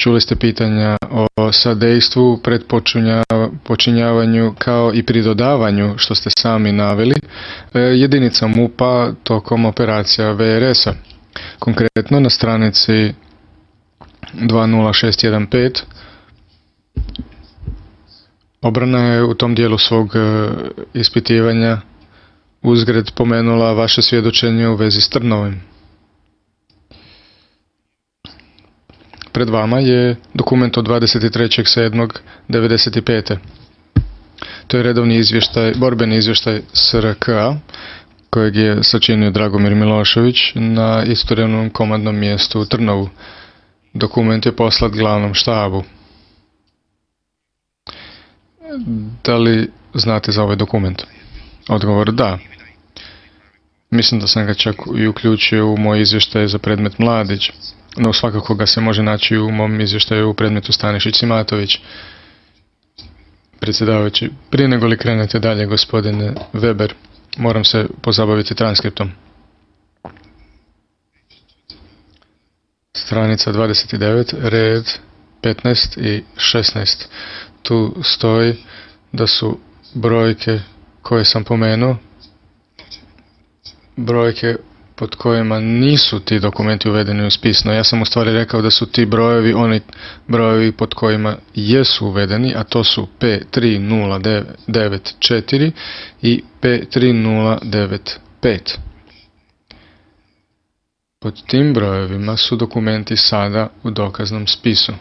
Čuli ste pitanja o sadejstvu, počinjavanju kao i pridodavanju, što ste sami naveli, jedinica MUP-a tokom operacija VRS-a. Konkretno na stranici 20615 obrana je u tom dijelu svog ispitivanja uzgred pomenula vaše svjedočenje u vezi s Trnovim. Pred vama je dokument od 23.7.1995. To je redovni izvještaj, borbeni izvještaj SRK-a, kojeg je sačinio Dragomir Milošević na istovremnom komandnom mjestu u Trnovu. Dokument je poslat glavnom štabu. Da li znate za ovaj dokument? Odgovor da. Mislim da sam ga čak i uključio u moj izvještaj za predmet Mladić, no svakako ga se može naći u mom izvještaju u predmetu Stanišić-Simatović. Predsjedavajući, prije nego li krenete dalje, gospodine Weber, moram se pozabaviti transkriptom. Stranica 29, red 15 i 16. Tu stoji da su brojke koje sam pomenuo, brojke pod kojima nisu ti dokumenti uvedeni u spis, no ja sam u stvari rekao da su ti brojevi oni brojevi pod kojima jesu uvedeni, a to su P3094 i P3095. Pod tim brojevima su dokumenti sada u dokaznom spisu.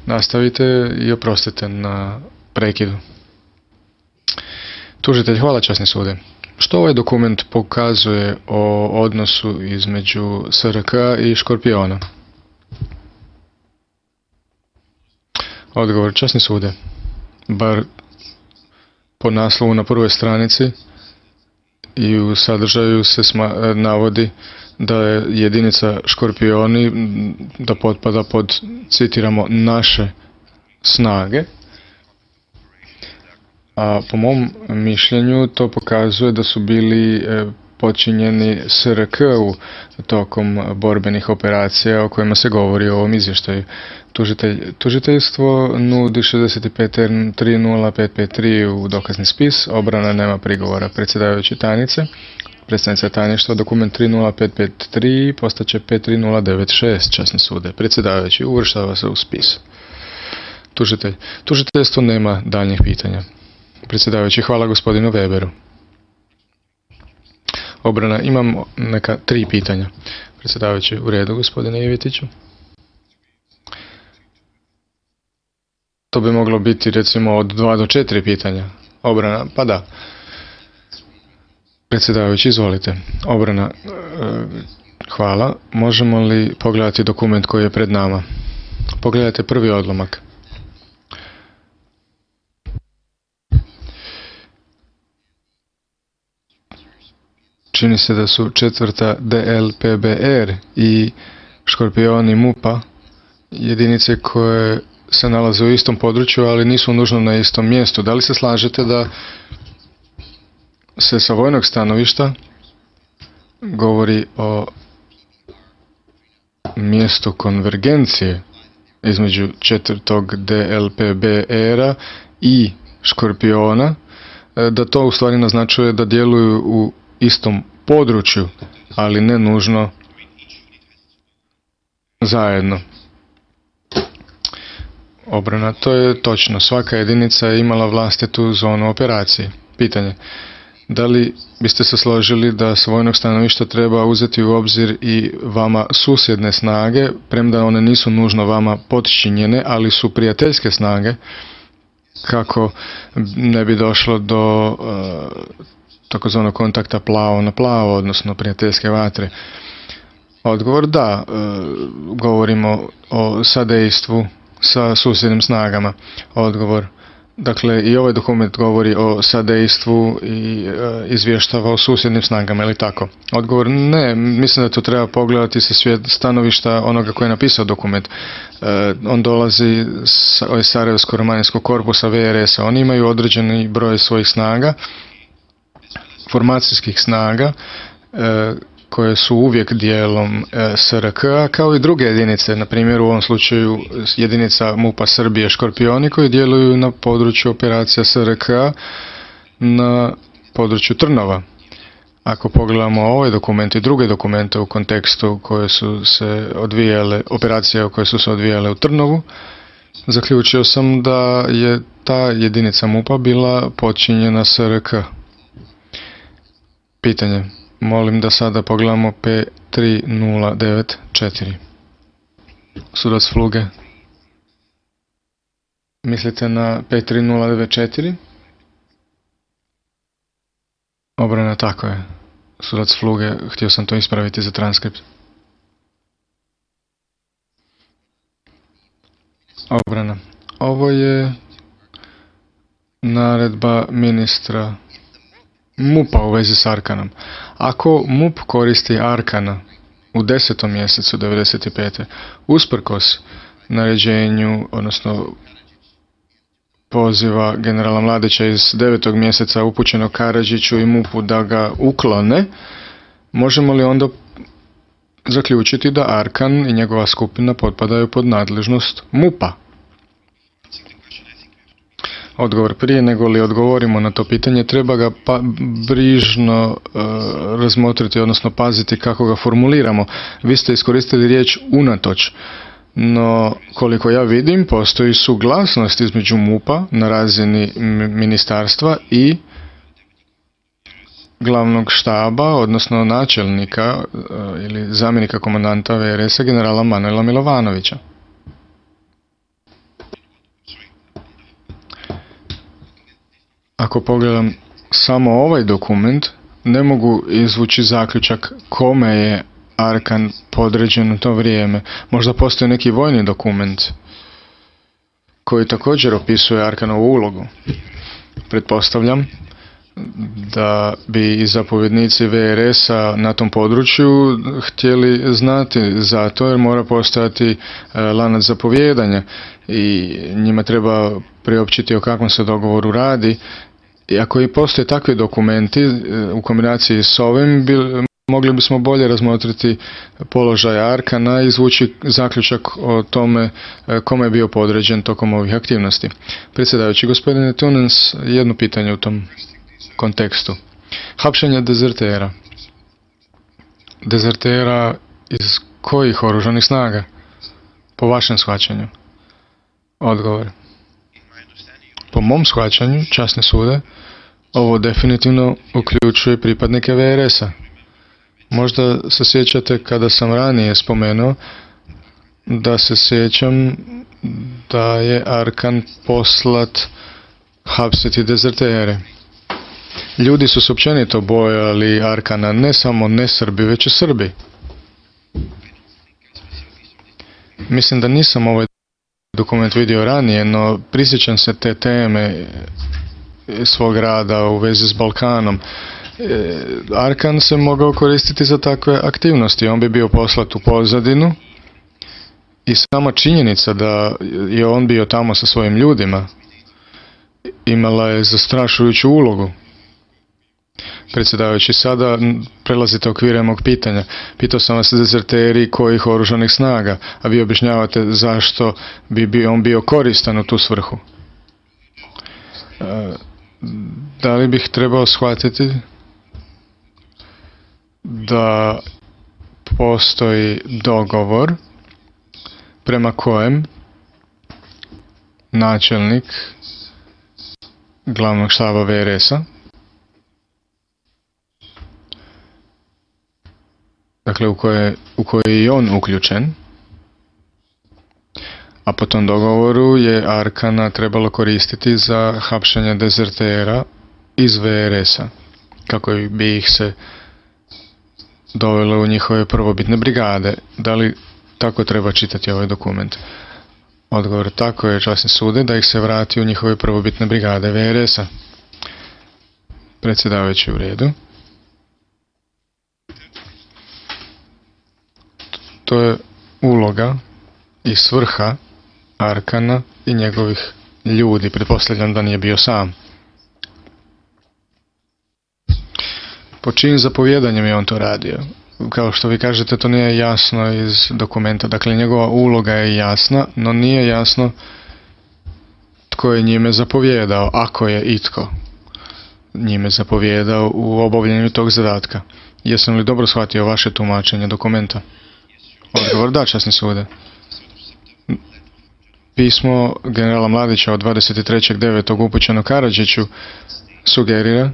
Nastavite i oprostite na prekidu. Tužitelj, hvala časni sude. Što ovaj dokument pokazuje o odnosu između SRK i Škorpiona? Odgovor, časni sude. Bar po naslovu na prvoj stranici i u sadržaju se navodi da je jedinica Škorpioni, da potpada pod, citiramo, naše snage. A po mom mišljenju to pokazuje da su bili počinjeni SRK-u tokom borbenih operacija o kojima se govori u ovom izvještaju. Tužiteljstvo nudi 65R30553 u dokazni spis, obrana nema prigovora. Predsjedavajući tajnice, predstavnica tajništva, dokument 30553 postaće 53096, časni sude. Predsjedavajući, uvrštava se u spis. Tužiteljstvo nema daljnjih pitanja. Predsjedavajući, hvala gospodinu Weberu. Obrana, imam neka 3 pitanja. Predsjedavajući, u redu gospodine Ivetiću. To bi moglo biti recimo od 2 do 4 pitanja. Obrana, pa da. Predsjedavajući, izvolite. Obrana, hvala. Možemo li pogledati dokument koji je pred nama? Pogledajte prvi odlomak. Čini se da su 4. DLPBR i Škorpioni MUP-a jedinice koje se nalaze u istom području, ali nisu nužno na istom mjestu. Da li se slažete da se sa vojnog stanovišta govori o mjestu konvergencije između 4. DLPBR-a i Škorpiona, da to u stvari naznačuje da djeluju u istom području, ali ne nužno zajedno? Obrana, to je točno. Svaka jedinica je imala vlastitu zonu operacije. Pitanje, da li biste se složili da s vojnog stanovišta treba uzeti u obzir i vama susjedne snage, premda one nisu nužno vama podčinjene, ali su prijateljske snage, kako ne bi došlo do takozvanog kontakta plavo na plavo, odnosno prijateljske vatre? Odgovor, da, govorimo o sadejstvu sa susjednim snagama. Odgovor, dakle i ovaj dokument govori o sadejstvu i izvještava o susjednim snagama, ili tako? Odgovor, ne, mislim da to treba pogledati sa stanovišta onoga koji je napisao dokument. On dolazi iz Sarajevsko-romanijskog korpusa VRS-a. Oni imaju određeni broj svojih snaga, formacijskih snaga, koje su uvijek dijelom SRK-a, kao i druge jedinice, na primjer u ovom slučaju jedinica MUP-a Srbije Škorpioni koji djeluju na području operacija SRK-a na području Trnova. Ako pogledamo ovaj dokument i druge dokumente u kontekstu koje su se odvijale, operacije koje su se odvijale u Trnovu, zaključio sam da je ta jedinica MUP-a bila podčinjena SRK. Pitanje. Molim da sada pogledamo P3094. Sudac Fluge. Mislite na P3094? Obrana, tako je. Sudac Fluge, htio sam to ispraviti za transkript. Obrana. Ovo je naredba ministra MUP-a u vezi s Arkanom. Ako MUP koristi Arkana u 10. mjesecu 1995. usprkos naređenju, odnosno poziva generala Mladića iz 9. mjeseca upućenog Karadžiću i MUP-u da ga uklone, možemo li onda zaključiti da Arkan i njegova skupina potpadaju pod nadležnost MUP-a? Odgovor. Prije nego li odgovorimo na to pitanje, treba ga brižno razmotriti, odnosno paziti kako ga formuliramo. Vi ste iskoristili riječ unatoč, no koliko ja vidim postoji suglasnost između MUP-a na razini ministarstva i glavnog štaba, odnosno načelnika ili zamjenika komandanta VRS-a generala Manuela Milovanovića. Ako pogledam samo ovaj dokument, ne mogu izvući zaključak kome je Arkan podređen u to vrijeme. Možda postoji neki vojni dokument koji također opisuje Arkanovu ulogu. Pretpostavljam da bi i zapovjednici VRS-a na tom području htjeli znati zato jer mora postojati lanac zapovijedanja i njima treba priopćiti o kakvom se dogovoru radi. I ako i postoje takvi dokumenti u kombinaciji s ovim, mogli bismo bolje razmotriti položaj Arkana i izvući zaključak o tome kome je bio podređen tokom ovih aktivnosti. Predsjedavajući, gospodine Tunens, jedno pitanje u tom kontekstu. Hapšenje dezertera. Dezertera iz kojih oružanih snaga? Po vašem shvaćanju? Odgovor. Po mom shvaćanju, časne sude, ovo definitivno uključuje pripadnike VRS-a. Možda se sjećate kada sam ranije spomenuo da se sjećam da je Arkan poslat hapsiti dezertere. Ljudi su se općenito bojali Arkana, ne samo ne Srbi, već i Srbi. Mislim da nisam ovaj dokument vidio ranije, no prisjećam se te teme svog rada u vezi s Balkanom. Arkan se mogao koristiti za takve aktivnosti. On bi bio poslat u pozadinu i sama činjenica da je on bio tamo sa svojim ljudima imala je zastrašujuću ulogu. Predsjedavajući, sada prelazite okvire mog pitanja. Pitao sam vas dezerteri kojih oružanih snaga, a vi objašnjavate zašto bi on bio koristan u tu svrhu. Da li bih trebao shvatiti da postoji dogovor prema kojem načelnik glavnog štaba VRS-a, dakle u koje je i on uključen, a po tom dogovoru je Arkana trebalo koristiti za hapšenje dezertera iz VRS-a, kako bi ih se dovelo u njihove prvobitne brigade. Da li tako treba čitati ovaj dokument? Odgovor, tako je, časni sude, da ih se vrati u njihove prvobitne brigade VRS-a. Predsjedavajući, u redu. To je uloga i svrha Arkana i njegovih ljudi. Pretpostavljam da nije bio sam. Po čijim zapovjedanjem je on to radio? kao što vi kažete, to nije jasno iz dokumenta. Dakle, njegova uloga je jasna, no nije jasno tko je njime zapovijedao, ako je itko njime zapovijedao u obavljanju tog zadatka. Jesam li dobro shvatio vaše tumačenje dokumenta? Odgovor da, časni sude. Pismo generala Mladića od 23.9. upućeno Karadžiću sugerira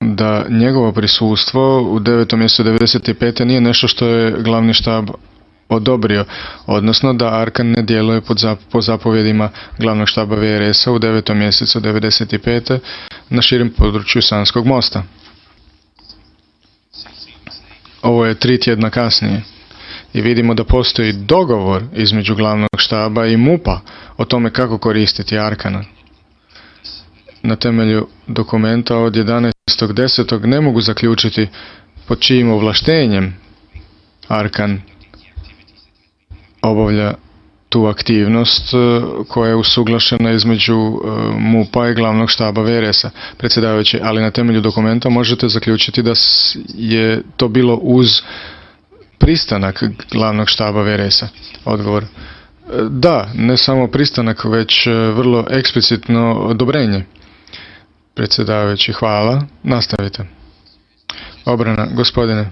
da njegovo prisustvo u 9. mjesecu 95. nije nešto što je glavni štab odobrio, odnosno da Arkan ne djeluje po zapovjedima glavnog štaba VRS-a u 9. mjesecu 95. na širem području Sanskog mosta. Ovo je 3 tjedna kasnije i vidimo da postoji dogovor između glavnog štaba i MUP-a o tome kako koristiti Arkana. Na temelju dokumenta od 11.10. ne mogu zaključiti pod čijim ovlaštenjem Arkan obavlja tu aktivnost koja je usuglašena između MUP-a i glavnog štaba VRS-a. Predsjedavajući, ali na temelju dokumenta možete zaključiti da je to bilo uz pristanak glavnog štaba VRS-a. Odgovor. Da, ne samo pristanak, već vrlo eksplicitno odobrenje. Predsjedavajući, hvala. Nastavite. Obrana, gospodine.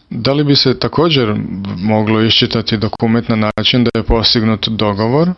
Da li bi se također moglo iščitati dokument na način da je postignut dogovor